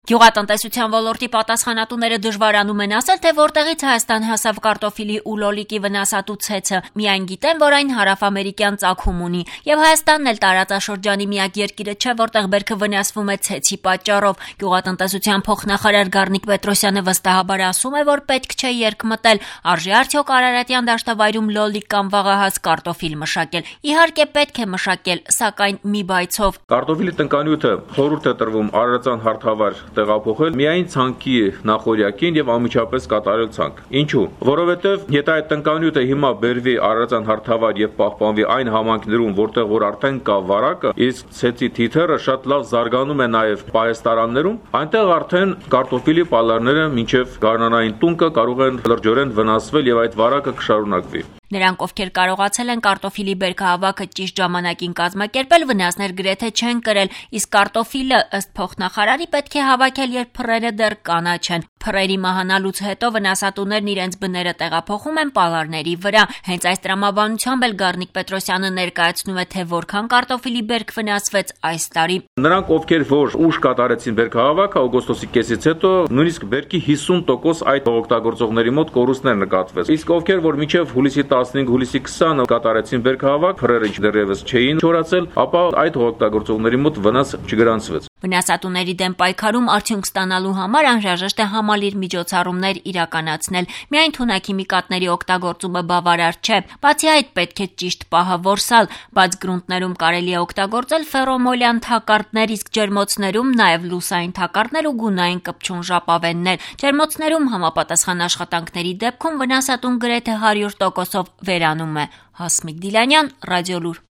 Գյուղատնտեսության ոլորտի պատասխանատուները դժվարանում են ասել, թե որտեղից Հայաստան հասավ կարտոֆիլի ու լոլիկի վնասատու ցեցը, միայն գիտեն, որ այն հարավամերիկյան ծագում ունի, եւ Հայաստանն էլ տարածաշրջանի միակ երկիրը չէ, որտեղ բերքը վնասվում է ցեցի պատճառով։ Գյուղատնտեսության փոխնախարար Գառնիկ Պետրոսյանը վստահաբար ասում է, որ պետք չէ երկմտել, արժի արդյոք Արարատյան դաշտավայրում լոլիկ կամ վաղահաս կարտոֆիլ մշակել։ Իհարկե պետք է մշակել, սակայն մի բայցով։ Կարտոֆիլի տնկանյութը խորհուրդ է տրվում Արարատյան հարթավայր տեղափոխել միայն ցանկի նախօրյակին եւ անմիջապես կատարել ցանկ։ Ինչու՞։ Որովհետեւ եթե այդ տնկանյութը հիմա բերվի Արարատյան հարթավայր եւ պահպանվի այն համայնքներում, որտեղ որ արդեն կա վարակը, իսկ ցեցի թիթեռը շատ լավ զարգանում է նաեւ պահեստարաններում, այնտեղ արդեն կարտոֆիլի պալարները մինչեւ գարնանային տունկը կարող են լրջորեն վնասվել եւ այդ վարակը կշարունակվի։ Նրանք, ովքեր կարողացել են կարտոֆիլի բերքահավաքը ճիշտ ժամանակին կազմակերպել, վնասներ գրեթե չեն կրել, իսկ կարտոֆիլը, ըստ փոխնախարարի, պետք է հավաքել, երբ փռերը դեռ կանաչ են։ Փռերի մահանալուց հետո վնասատուներն իրենց բները տեղափոխում են պալարների վրա։ Հենց այս տրամաբանությամբ էլ Գառնիկ Պետրոսյանը ներկայացնում է, թե որքան կարտոֆիլի բերք վնասվեց այս տարի։ Նրանք, ովքեր որ ուշ կատարեցին բերքահավաքը օգոստոսի կեսից հետո, նույնիսկ բերքի 50% այդ օգտագործողների մոտ կորուստներ նկատվեց։ Իսկ ովքեր որ մինչև հուլիսի 15, հուլիսի 20 կատարեցին բերքահավաք, փռերը դեռևս չէին չորացել, ապա այդ օգտագործողների մոտ վնաս չգրանցվեց։ Վնասատուների դեմ պայքարում արդյունք ստանալու համար անհրաժեշտ է համալիր միջոցառումներ իրականացնել։ Միայն թունաքիմիկատների օգտագործումը բավարար չէ։ Բացի այդ, պետք է ճիշտ պահը որսալ։ Բաց գրունտներում կարելի է օգտագործել ֆերոմոլյան թակարդներ, իսկ ջերմոցներում նաև լուսային թակարդներ ու գունային կպչուն ժապավեններ։ Ջերմոցներում համապատասխան աշխատանքների դեպքում վնասատուն գրեթե 100%-ով վերանում է։ Հասմիկ Դիլանյան, Ռադիոլուր։